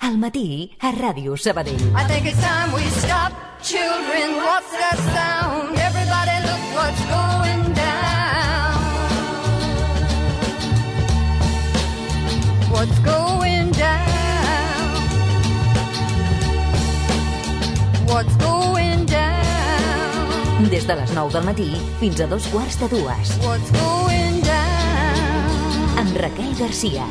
Al matí a Ràdio Sabadell. I think it's time we stop. Children, what's that sound? Everybody look what's going down. What's going down? What's going down? Des de les 9 del matí fins a 2:15. What's going down? Amb Raquel Garcia.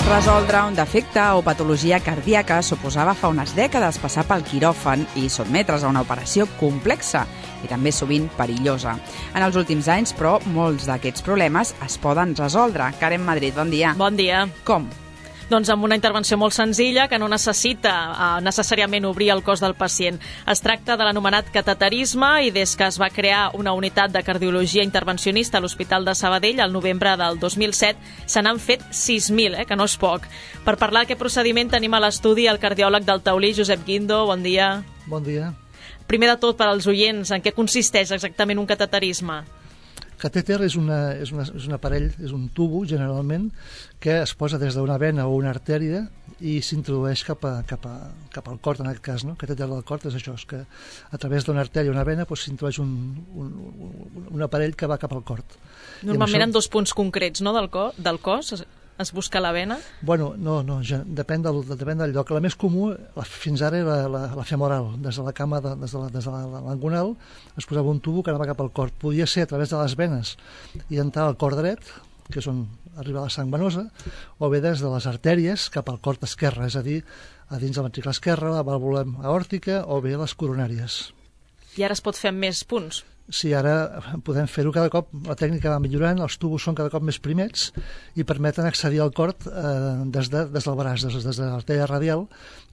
Resoldre un defecte o patologia cardíaca suposava fa unes dècades passar pel quiròfan i sotmetre's a una operació complexa i també sovint perillosa. En els últims anys, però, molts d'aquests problemes es poden resoldre. Karen Madrid, bon dia. Bon dia. Com? Doncs amb una intervenció molt senzilla que no necessita necessàriament obrir el cos del pacient. Es tracta de l'anomenat cateterisme i des que es va crear una unitat de cardiologia intervencionista a l'Hospital de Sabadell al novembre del 2007 se n'han fet 6.000, que no és poc. Per parlar d'aquest procediment tenim a l'estudi el cardiòleg del Taulí, Josep Guindo. Bon dia. Bon dia. Primer de tot, per als oients, en què consisteix exactament un cateterisme? Catèter és un aparell, és un tubo, generalment, que es posa des d'una vena o una artèria i s'introdueix cap al cor, en aquest cas, no? Catèter del cor és això, és que a través d'una artèria o una vena s'introdueix un aparell que va cap al cor. Normalment en dos punts concrets, no?, del cos, es busca la vena? Bueno, no, depèn del lloc. La més comú, fins ara, era la femoral. Des de la cama, des de l'angonal, es posava un tubo que anava cap al cor. Podia ser a través de les venes i entrar al cor dret, que és on arriba la sang venosa, o bé des de les artèries cap al cor esquerre, és a dir, a dins del ventricle esquerre, la vàlvula aòrtica o bé les coronàries. I ara es pot fer amb més punts? Sí, ara podem fer-ho cada cop, la tècnica va millorant, els tubos són cada cop més primets i permeten accedir al cor des del braç, des de l'artèria radial,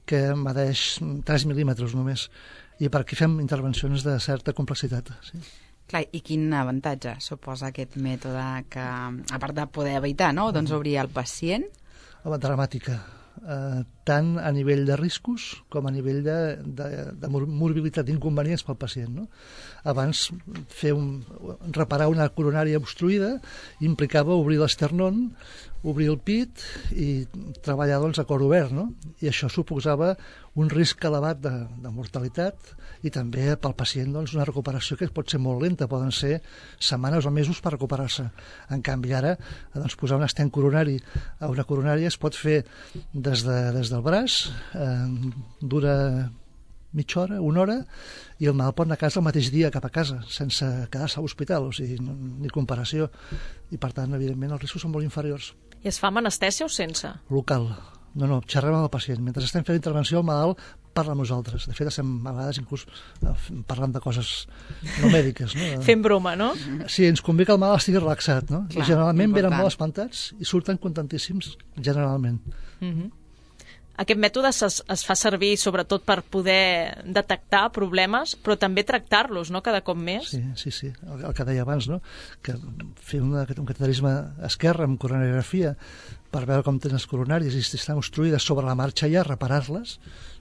que medeix 3 mil·límetres només, i per aquí fem intervencions de certa complexitat. Sí. Clar, i quin avantatge suposa aquest mètode que, a part de poder evitar, no?, doncs obrir el pacient? Dramàtica. Tant a nivell de riscos com a nivell de morbilitat, d'inconvenients pel pacient, no? Abans reparar una coronària obstruïda implicava obrir l'esternón, obrir el pit i treballar a cor obert, no? I això suposava un risc elevat de mortalitat i també pel pacient una recuperació que pot ser molt lenta, poden ser setmanes o mesos per recuperar-se. En canvi ara posar un estent coronari a una coronària es pot fer des del braç, dura mitja hora, una hora, i el malalt pot anar a casa el mateix dia cap a casa, sense quedar-se a l'hospital, o sigui, ni comparació. I per tant, evidentment, els riscos són molt inferiors. I es fa amb anestèsia o sense? Local. No, xerrem amb el pacient. Mentre estem fent intervenció, el malalt parla amb nosaltres. De fet, estem a vegades inclús parlant de coses no mèdiques. No? Fent broma, no? Sí, ens convé que el malalt estigui relaxat, no? Clar, i generalment important. venen molt espantats i surten contentíssims, generalment. Aquest mètode es fa servir sobretot per poder detectar problemes, però també tractar-los, no?, cada cop més. Sí. El que deia abans, no?, que fer un cateterisme esquerre amb coronariografia per veure com tenen les coronàries i si estan obstruïdes sobre la marxa ja, reparar-les,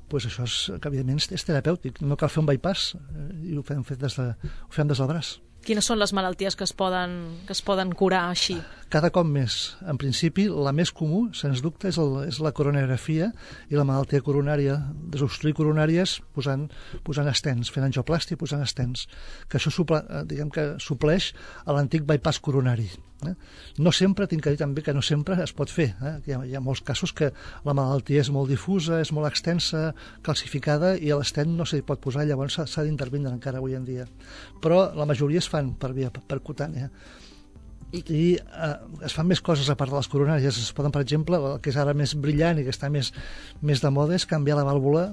doncs això que evidentment és terapèutic. No cal fer un bypass i ho fem des del braç. Quines són les malalties que es poden curar així? Cada cop més. En principi, la més comú, sens dubte, és la coronariografia i la malaltia coronària, desobstruir coronàries posant estents, fent angioplàstia i posant estents, que això supleix a l'antic bypass coronari. No sempre, tinc que dir també que no sempre es pot fer. Hi ha molts casos que la malaltia és molt difusa, és molt extensa, calcificada, i l'estent no s'hi pot posar, llavors s'ha d'intervindre encara avui en dia. Però la majoria es fan per via percutània. I es fan més coses a part de les coronàries. Es poden, per exemple, el que és ara més brillant i que està més de moda és canviar la vàlvula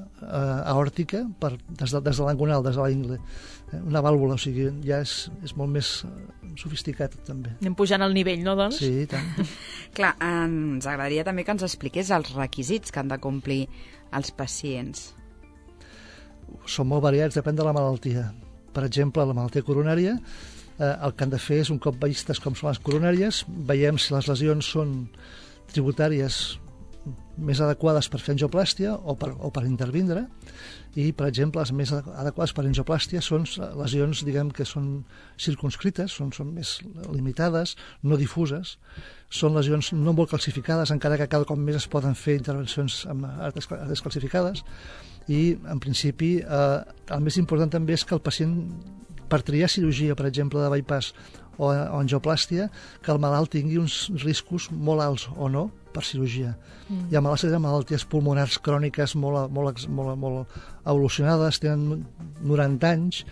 aòrtica des de l'angonal, des de la ingle. Una vàlvula, o sigui, ja és molt més sofisticat, també. Anem pujant el nivell, no, doncs? Sí, i tant. Clar, ens agradaria també que ens expliqués els requisits que han de complir els pacients. Són molt variats, depèn de la malaltia. Per exemple, la malaltia coronària, el que han de fer és, un cop vistes com són les coronàries, veiem si les lesions són tributàries més adequades per fer angioplàstia o per intervindre, i, per exemple, les més adequades per angioplàstia són lesions, diguem, que són circunscrites, són més limitades, no difuses, són lesions no molt calcificades, encara que cada cop més es poden fer intervencions amb artres calcificades, i, en principi, el més important també és que el pacient, per triar cirurgia, per exemple, de bypass o angioplàstia, que el malalt tingui uns riscos molt alts o no per cirurgia. Hi ha malalties pulmonars cròniques molt evolucionades, tenen 90 anys,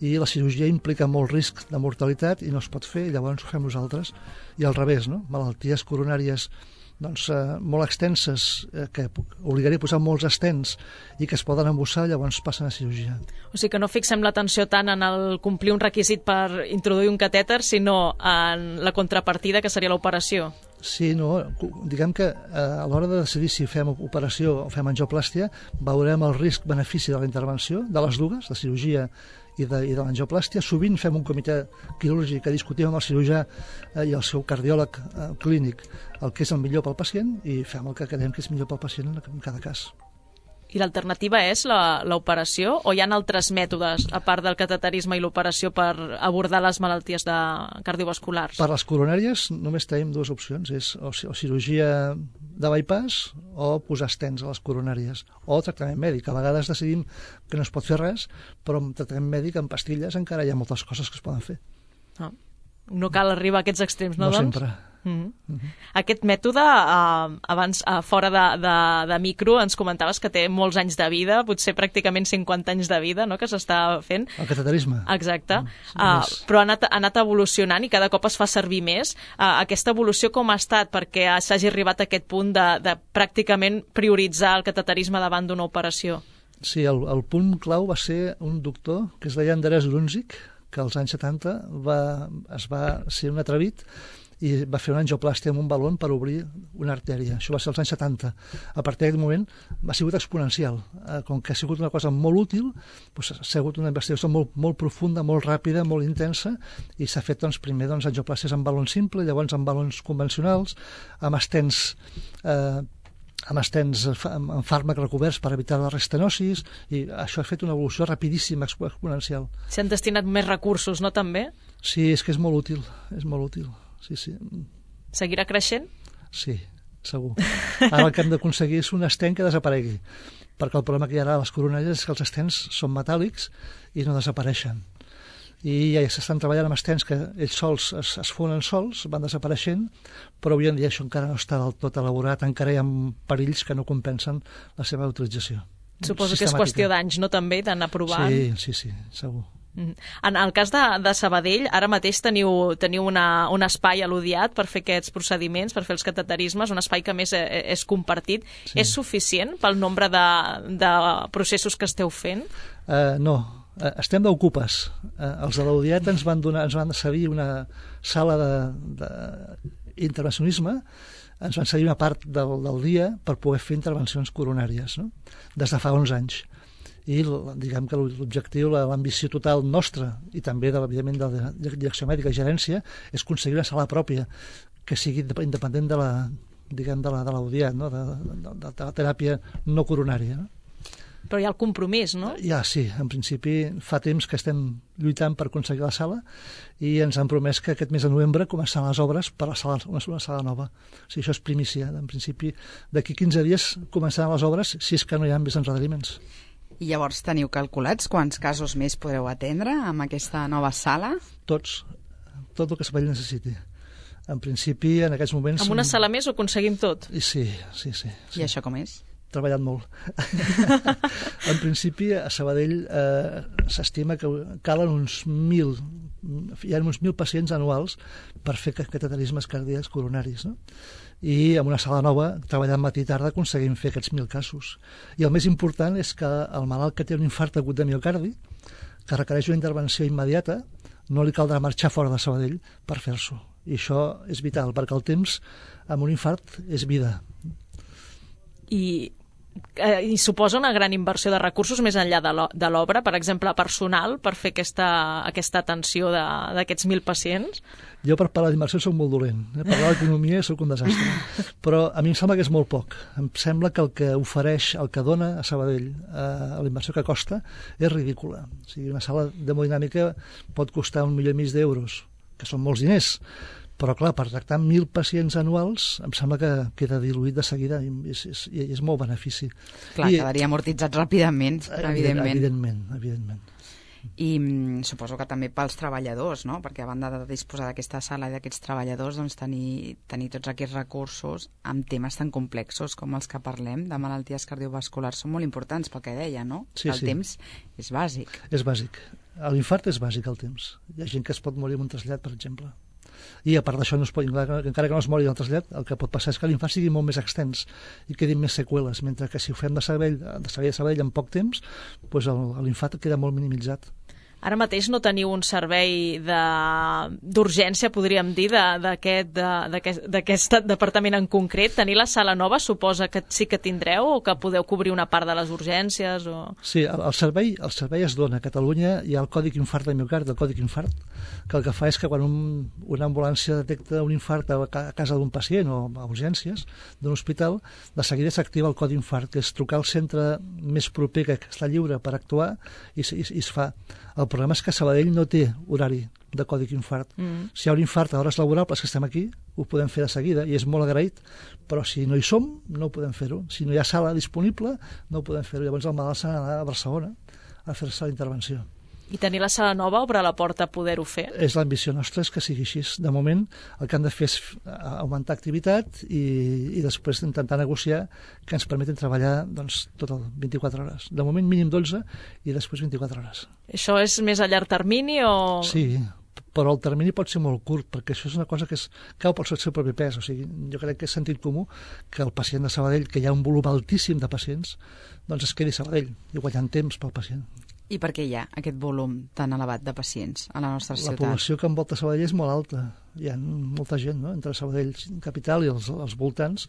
i la cirurgia implica molt risc de mortalitat i no es pot fer, i llavors ho fem nosaltres. I al revés, no? Malalties coronàries molt extenses, que obligaria a posar molts estents i que es poden embussar, llavors passen a cirurgia. O sigui que no fixem l'atenció tant en el complir un requisit per introduir un catèter, sinó en la contrapartida, que seria l'operació. Sí, no, diguem que a l'hora de decidir si fem operació o fem angioplàstia, veurem el risc-benefici de la intervenció, de les dues, de cirurgia i de l'angioplàstia. Sovint fem un comitè quirúrgic que discutim amb el cirurgià i el seu cardiòleg clínic el que és el millor pel pacient, i fem el que creiem que és millor pel pacient en cada cas. I l'alternativa és l'operació, o hi ha altres mètodes, a part del cateterisme i l'operació, per abordar les malalties cardiovasculars? Per les coronàries només tenim dues opcions, és o cirurgia de bypass o posar estents a les coronàries, o tractament mèdic. A vegades decidim que no es pot fer res, però amb tractament mèdic, amb pastilles, encara hi ha moltes coses que es poden fer. No cal arribar a aquests extrems, no, doncs? No sempre. Aquest mètode, abans, fora de micro, ens comentaves que té molts anys de vida, potser pràcticament 50 anys de vida, no?, que s'està fent. El cateterisme. Exacte. Però ha anat evolucionant i cada cop es fa servir més. Aquesta evolució com ha estat perquè s'hagi arribat a aquest punt de pràcticament prioritzar el cateterisme davant d'una operació? Sí, el punt clau va ser un doctor que es deia Andrés Grunzig, que als anys 70 es va ser un atrevit i va fer una angioplàstia amb un balon per obrir una artèria. Això va ser als anys 70. A partir d'aquest moment ha sigut exponencial. Com que ha sigut una cosa molt útil, doncs ha sigut una investigació molt profunda, molt ràpida, molt intensa, i s'ha fet primer angioplàsties amb balon simple, llavors amb balons convencionals, amb estents amb fàrmac recoberts per evitar la restenosis, i això ha fet una evolució rapidíssima, exponencial. S'han destinat més recursos, no, també? Sí, és que és molt útil, sí. Seguirà creixent? Sí, segur. Ara el que hem d'aconseguir és un estent que desaparegui, perquè el problema que hi ha ara a les coronàries és que els estents són metàl·lics i no desapareixen. I ja s'estan treballant amb estents que ells sols es fonen sols, van desapareixent, però avui en dia això encara no està del tot elaborat, encara hi ha perills que no compensen la seva utilització. Suposo que és qüestió d'anys, no, també, d'anar provant? Sí, segur. En el cas de Sabadell, ara mateix teniu un espai a l'Udiat per fer aquests procediments, per fer els cateterismes, un espai que més és compartit. Sí. És suficient pel nombre de processos que esteu fent? No, estem d'ocupes. Els de l'Udiat ens van cedir una sala d'intervencionisme, ens van cedir una part del dia per poder fer intervencions coronàries, no? Des de fa 11 anys. I diguem que l'objectiu, l'ambició total nostra i també, evidentment, de la direcció mèdica i gerència és aconseguir una sala pròpia que sigui independent de l'Udiat, no? de la teràpia no coronària. No? Però hi ha el compromís, no? Ja, sí. En principi fa temps que estem lluitant per aconseguir la sala i ens han promès que aquest mes de novembre començaran les obres per una sala nova. O sigui, això és primícia. En principi, d'aquí 15 dies començaran les obres, si és que no hi ha més endarreriments. I llavors teniu calculats quants casos més podreu atendre amb aquesta nova sala? Tot el que Sabadell necessiti. En principi, en aquests moments... Amb una sala més ho aconseguim tot? Sí. I això com és? Treballat molt. En principi, a Sabadell s'estima que calen uns 1.000 hi ha uns 1.000 pacients anuals per fer cateterismes cardíacs coronaris, no? I en una sala nova, treballant matí i tarda, aconseguim fer aquests 1.000 casos. I el més important és que el malalt que té un infart agut de miocardi, que requereix una intervenció immediata, no li caldrà marxar fora de Sabadell per fer-s'ho. I això és vital, perquè el temps amb un infart és vida. I suposa una gran inversió de recursos més enllà de l'obra, per exemple, personal, per fer aquesta atenció d'aquests 1.000 pacients? Jo per parlar d'inversió soc molt dolent. Parlar d'economia soc un desastre. Però a mi em sembla que és molt poc. Em sembla que el que ofereix, el que dona a Sabadell, la inversió que costa, és ridícula. O sigui, una sala d'hemodinàmica pot costar 1,5 milió d'euros, que són molts diners. Però, clar, per tractar 1.000 pacients anuals em sembla que queda diluït de seguida i és molt benefici. Clar, quedaria amortitzat ràpidament, evidentment. Evidentment. I suposo que també pels treballadors, no? Perquè a banda de disposar d'aquesta sala i d'aquests treballadors, doncs tenir tots aquests recursos amb temes tan complexos com els que parlem de malalties cardiovasculars són molt importants pel que deia, no? Sí, el temps és bàsic. És bàsic. A l'infart és bàsic el temps. Hi ha gent que es pot morir amb un trasllat, per exemple. I a part d'això, encara que no es mori del trasllat, el que pot passar és que l'infart sigui molt més extens i quedin més seqüeles, mentre que si ho fem de Sabadell en poc temps, doncs l'infart queda molt minimitzat. Ara mateix no teniu un servei d'urgència, podríem dir, d'aquest departament en concret. Tenir la sala nova suposa que sí que tindreu o que podeu cobrir una part de les urgències? O... Sí, el servei es dona. A Catalunya hi ha el còdic infart de miocard, el còdic infart, que el que fa és que quan una ambulància detecta un infart a casa d'un pacient o a urgències d'un hospital, de seguida s'activa el codi infart, que és trucar al centre més proper que està lliure per actuar i es fa. El problema és que Sabadell no té horari de còdic infart. Si hi ha un infart a hores laborables que estem aquí, ho podem fer de seguida i és molt agraït, però si no hi som, no ho podem fer-ho. Si no hi ha sala disponible, no ho podem fer-ho. Llavors el malalt s'ha d'anar a Barcelona a fer-se la intervenció. I tenir la sala nova obre la porta a poder-ho fer? És l'ambició nostra, és que sigui així. De moment, el que hem de fer és augmentar activitat i després intentar negociar que ens permetin treballar tot el 24 hores. De moment, mínim 12 i després 24 hores. Això és més a llarg termini o...? Sí, però el termini pot ser molt curt, perquè això és una cosa que cau pel seu propi pes. O sigui, jo crec que és sentit comú que el pacient de Sabadell, que hi ha un volum altíssim de pacients, doncs es quedi a Sabadell i guanyant temps pel pacient. I per què hi ha aquest volum tan elevat de pacients a la nostra ciutat? La població que envolta Sabadell és molt alta. Hi ha molta gent, no? Entre Sabadell capital i els voltants.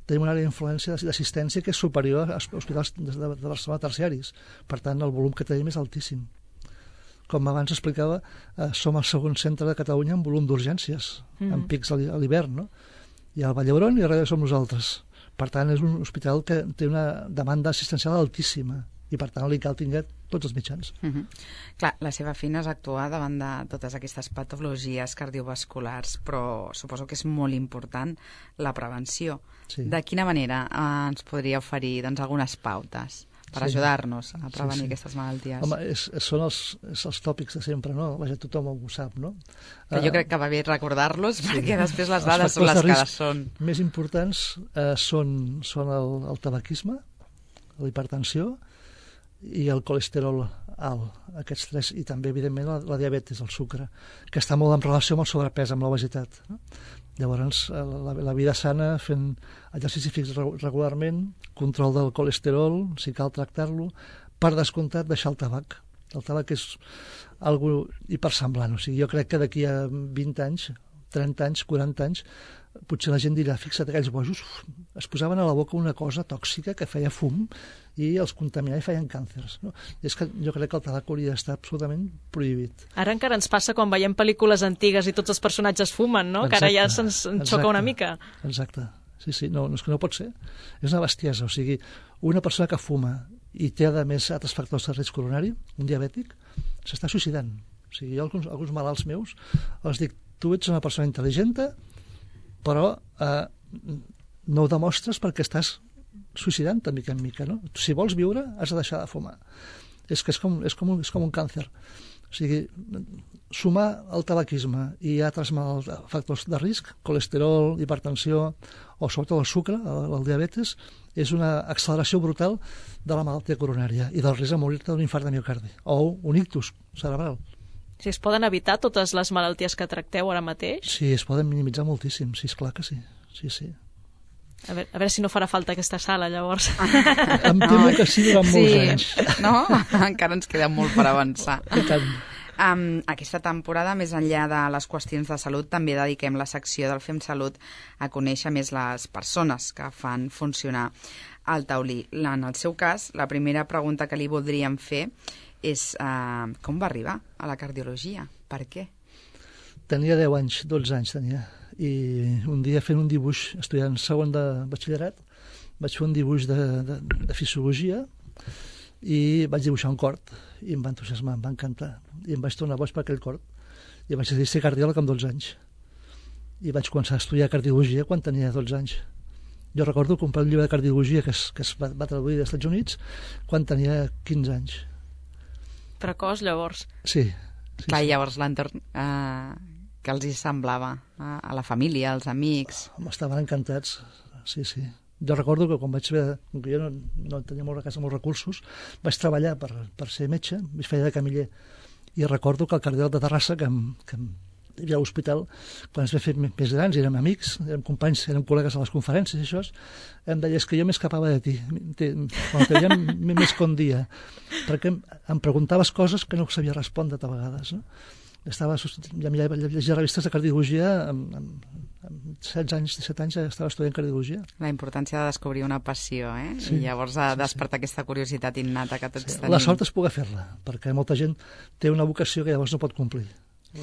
Tenim una àrea d'influència d'assistència que és superior als hospitals de Barcelona terciaris. Per tant, el volum que tenim és altíssim. Com abans explicava, som el segon centre de Catalunya en volum d'urgències, amb pics a l'hivern, no? Hi ha el Vall d'Hebron i darrere som nosaltres. Per tant, és un hospital que té una demanda assistencial altíssima i per tant li cal tinguer tots els mitjans. Clar, la seva feina és actuar davant de totes aquestes patologies cardiovasculars, però suposo que és molt important la prevenció. Sí. De quina manera ens podria oferir algunes pautes per ajudar-nos a prevenir aquestes malalties? Home, són els tòpics de sempre, no? Vaja, tothom ho sap, no? Que jo crec que va bé recordar-los, perquè després les dades són les que són. Més importants són el tabaquisme, la hipertensió i el colesterol alt, aquests tres, i també, evidentment, la diabetis, el sucre, que està molt en relació amb el sobrepès, amb l'obesitat. No? Llavors, la vida sana, fent exercici fix regularment, control del colesterol, si cal tractar-lo, per descomptat, deixar el tabac. El tabac és algo hipersemblant, o sigui, jo crec que d'aquí a 20 anys, 30 anys, 40 anys, potser la gent dirà, fixa't, aquells bojos es posaven a la boca una cosa tòxica que feia fum i els contaminava i feien càncers. No? És que jo crec que el tabac hauria d'estar absolutament prohibit. Ara encara ens passa quan veiem pel·lícules antigues i tots els personatges fumen, no? Exacte, que ara ja se'ns xoca una mica. Exacte. Sí, no, és que no pot ser. És una bestiesa. O sigui, una persona que fuma i té, a més, altres factors de risc coronari, un diabètic, s'està suïcidant. O sigui, jo alguns malalts meus els dic, tu ets una persona intel·ligent, però no ho demostres perquè estàs suïcidant de mica en mica, no? Si vols viure, has de deixar de fumar. És que és com un càncer. O sigui, sumar el tabaquisme i altres factors de risc, colesterol, hipertensió o sobretot el sucre, el diabetes, és una acceleració brutal de la malaltia coronària i del risc de morir-te d'un infart de miocardi o un ictus cerebral. Si es poden evitar totes les malalties que tracteu ara mateix? Sí, es poden minimitzar moltíssim, sí, esclar que sí. Sí. A veure si no farà falta aquesta sala, llavors. Em temo que sí durant molts anys. No? Encara ens queda molt per avançar. I tant. Aquesta temporada, més enllà de les qüestions de salut, també dediquem la secció del Fem Salut a conèixer més les persones que fan funcionar el taulí. En el seu cas, la primera pregunta que li voldríem fer és com va arribar a la cardiologia? Per què? Tenia 10 anys, 12 anys tenia, i un dia fent un dibuix, estudiant segon de batxillerat, vaig fer un dibuix de fisiologia i vaig dibuixar un cort i em va entusiasmar, em va encantar i em vaig tornar boig per aquell cort i vaig decidir ser cardiòleg amb 12 anys i vaig començar a estudiar cardiologia quan tenia 12 anys. Jo recordo comprar un llibre de cardiologia que es va traduir dels Estats Units quan tenia 15 anys. Precoç, llavors. Sí. Clar, llavors l'entorn que els hi semblava a la família, als amics. Estaven encantats, sí. Jo recordo que quan vaig veure, com que jo no tenia a casa molts recursos, vaig treballar per ser metge, vaig fer de camiller, i recordo que el cardiòleg de Terrassa, que hi havia a l'hospital, quan es va fer més grans, érem amics, érem companys, érem col·legues a les conferències i això, em deia, que jo m'escapava de ti, quan te veiem més que un dia, perquè em preguntaves coses que no sabia respondre a vegades, no? Ja llegia revistes de cardiologia amb 16 anys, 17 anys ja estava estudiant cardiologia. La importància de descobrir una passió, Sí, i llavors despertar aquesta curiositat innata que tots tenim. La sort és poder fer-la, perquè molta gent té una vocació que llavors no pot complir.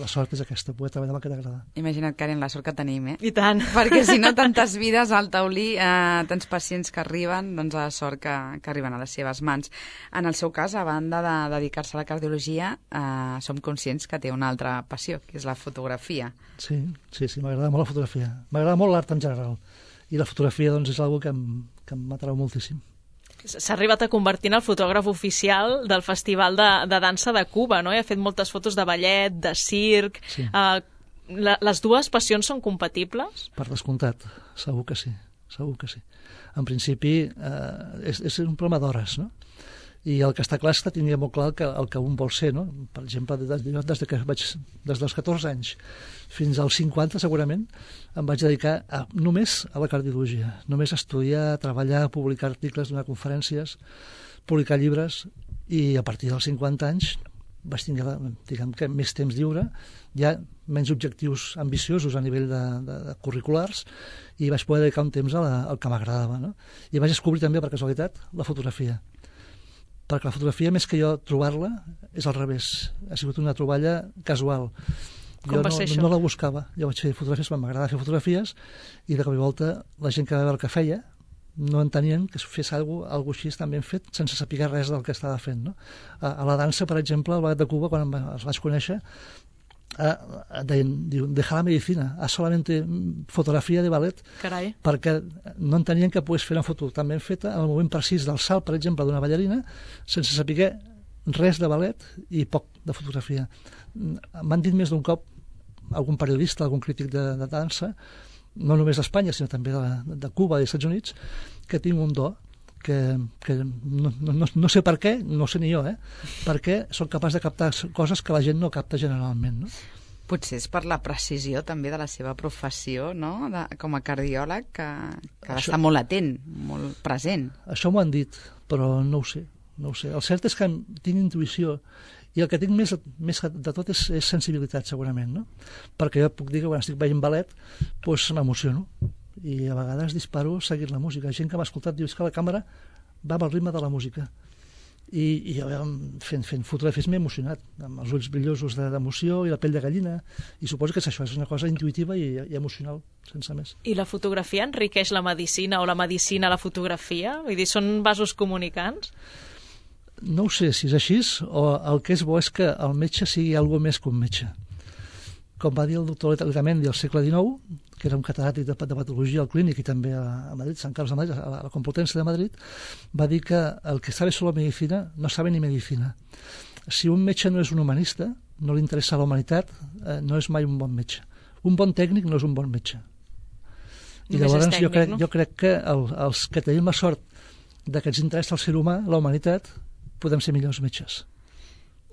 La sort és aquesta, poder treballar amb el que t'agrada. Imagina't, Karen, la sort que tenim, I tant. Perquè si no, tantes vides al taulí, tants pacients que arriben, doncs la sort que arriben a les seves mans. En el seu cas, a banda de dedicar-se a la cardiologia, som conscients que té una altra passió, que és la fotografia. Sí, m'agrada molt la fotografia. M'agrada molt l'art en general. I la fotografia, doncs, és una que em m'atrau moltíssim. S'ha arribat a convertir en el fotògraf oficial del Festival de Dansa de Cuba, no? I ha fet moltes fotos de ballet, de circ. Sí. Les dues passions són compatibles? Per descomptat, segur que sí. En principi, és un problema d'hores, no? I el que està clar és que tenia molt clar el que un vol ser, no? Per exemple, des dels 14 anys fins als 50, segurament, em vaig dedicar només a la cardiologia, només a estudiar, a treballar, a publicar articles, donar conferències, publicar llibres, i a partir dels 50 anys vaig tenir, diguem que, més temps lliure, ja menys objectius ambiciosos a nivell de curriculars, i vaig poder dedicar un temps al que m'agradava, no? I vaig descobrir també, per casualitat, la fotografia. Perquè la fotografia, més que jo trobar-la, és al revés. Ha sigut una troballa casual. Com va ser això? No la buscava. Jo vaig fer fotografies, m'agradava fer fotografies, i de cop i volta la gent que va veure el que feia no entenien que fes alguna cosa així tan ben fet, sense saber res del que estava fent, no? A la dansa, per exemple, al Ballet de Cuba, quan els vaig conèixer, dejar la medicina, a solamente fotografia de ballet. Carai. Perquè no entenien que pogués fer una foto tan ben feta en el moment precís del salt, per exemple, d'una ballarina, sense saber res de ballet i poc de fotografia. M'han dit més d'un cop algun periodista, algun crític de dansa, no només d'Espanya, sinó també de Cuba i dels Estats Units, que tinc un do que no sé per què, no sé ni jo, perquè soc capaç de captar coses que la gent no capta generalment, no? Potser és per la precisió també de la seva professió, no? Com a cardiòleg, que ha d'estar molt atent, molt present. Això m'ho han dit, però no ho sé. El cert és que tinc intuïció, i el que tinc més de tot és sensibilitat, segurament, no? Perquè jo puc dir que quan estic veient ballet doncs m'emociono, i a vegades disparo seguint la música. Gent que m'ha escoltat diu que la càmera va amb el ritme de la música, i jo fent fotografies m'he emocionat, amb els ulls brillosos d'emoció i la pell de gallina, i suposo que és això, és una cosa intuïtiva i emocional, sense més. I la fotografia enriqueix la medicina, o la medicina la fotografia? Vull dir, són vasos comunicants? No ho sé si és així, o el que és bo és que el metge sigui alguna més que un metge. Com va dir el doctor Letamendi al segle XIX, que era un catedràtic de patologia al Clínic i també a Madrid, Sant Carlos de Madrid, a la Complutense de Madrid, va dir que el que sabe solo medicina no sabe ni medicina. Si un metge no és un humanista, no li interessa la humanitat, no és mai un bon metge. Un bon tècnic no és un bon metge. I llavors jo crec que els que tenim la sort de que ens interessa el ser humà, la humanitat, podem ser millors metges.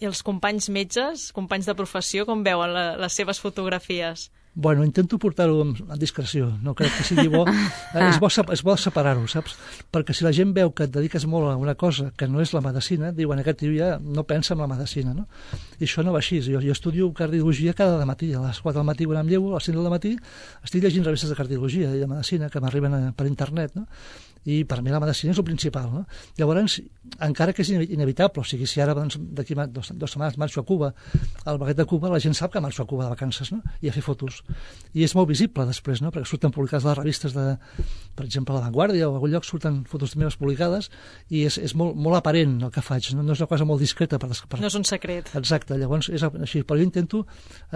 I els companys metges, companys de professió, com veuen les seves fotografies? Bueno, intento portar-ho amb discreció, no crec que sigui bo. És bo separar-ho, saps? Perquè si la gent veu que et dediques molt a una cosa que no és la medicina, diuen, aquest tio ja no pensa en la medicina, no? I això no va així. Jo estudio cardiologia cada matí, a les 4 del matí quan em llevo, a les 5 del matí, estic llegint revistes de cardiologia i de medicina que m'arriben per internet, no? I per mi la medicina és el principal, no? Llavors, encara que és inevitable, o sigui, si ara d'aquí 2 setmanes marxo a Cuba, al Baguet de Cuba, la gent sap que marxo a Cuba de vacances, no? I a fer fotos. I és molt visible després, no? Perquè surten publicades les revistes de, per exemple, La Vanguardia o a algun lloc surten fotos meves publicades i és molt aparent el que faig, no és una cosa molt discreta. No és un secret. Exacte, llavors és així, però jo intento,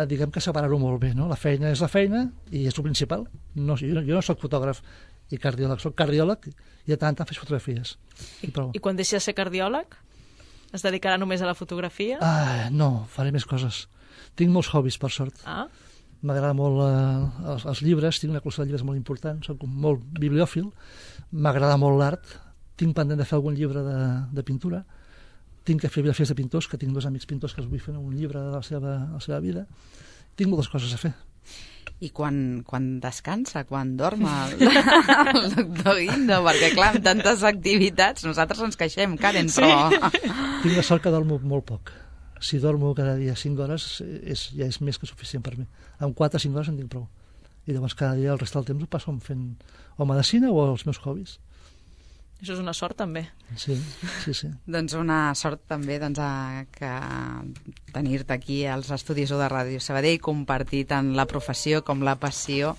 diguem que separar-ho molt bé, no? La feina és la feina i és el principal. No, jo no soc fotògraf i cardiòleg, soc cardiòleg i de tant faig fotografies. I quan deixi de ser cardiòleg? Es dedicarà només a la fotografia? No, faré més coses. Tinc molts hobbies, per sort. M'agrada molt els llibres, tinc una col·lecció de llibres molt important, soc molt bibliòfil, m'agrada molt l'art, tinc pendent de fer algun llibre de pintura, tinc que fer biografies de pintors, que tinc 2 amics pintors que els vull fer un llibre de la seva vida. Tinc moltes coses a fer. I quan descansa, quan dorm el doctor Guindo? Perquè, clar, amb tantes activitats, nosaltres ens queixem, Karen, però... Tinc la sort que dormo molt poc. Si dormo cada dia 5 hores, ja és més que suficient per mi. Amb 4 o 5 hores en tinc prou. I llavors cada dia el rest del temps ho passo fent o medicina o els meus hobbies. Això és una sort, també. Sí. Doncs una sort, també, que tenir-te aquí als estudis de Ràdio Sabadell, compartir tant la professió com la passió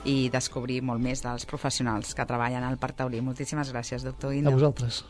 i descobrir molt més dels professionals que treballen al Parc Taulí. Moltíssimes gràcies, doctor Guindo. A vosaltres.